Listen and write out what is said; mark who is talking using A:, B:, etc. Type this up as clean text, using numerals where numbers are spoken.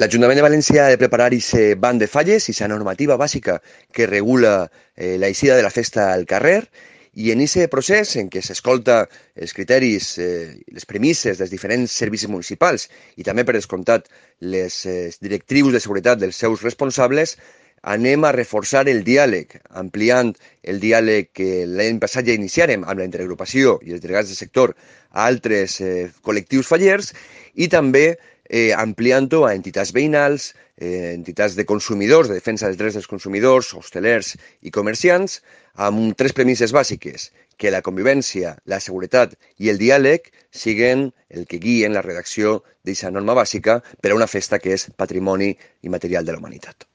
A: L'Ajuntament de València ha de preparar ese banc de falles, esa normativa bàsica que regula la eixida de la festa al carrer, i en aquest procés en què s'escolta els criteris, les premisses dels diferents servicis municipals i també, per descomptat, les directrius de seguretat dels seus responsables, anem a reforçar el diàleg, ampliant el diàleg que l'any passat ja iniciarem amb la interagrupació i els delegats del sector a altres col·lectius fallers i també ampliant-ho a entitats veïnals, entitats de consumidors, de defensa dels drets dels consumidors, hostelers i comerciants, amb tres premisses bàsiques, que la convivència, la seguretat i el diàleg siguen el que guien la redacció d'aquesta norma bàsica per a una festa que és patrimoni immaterial de la humanitat.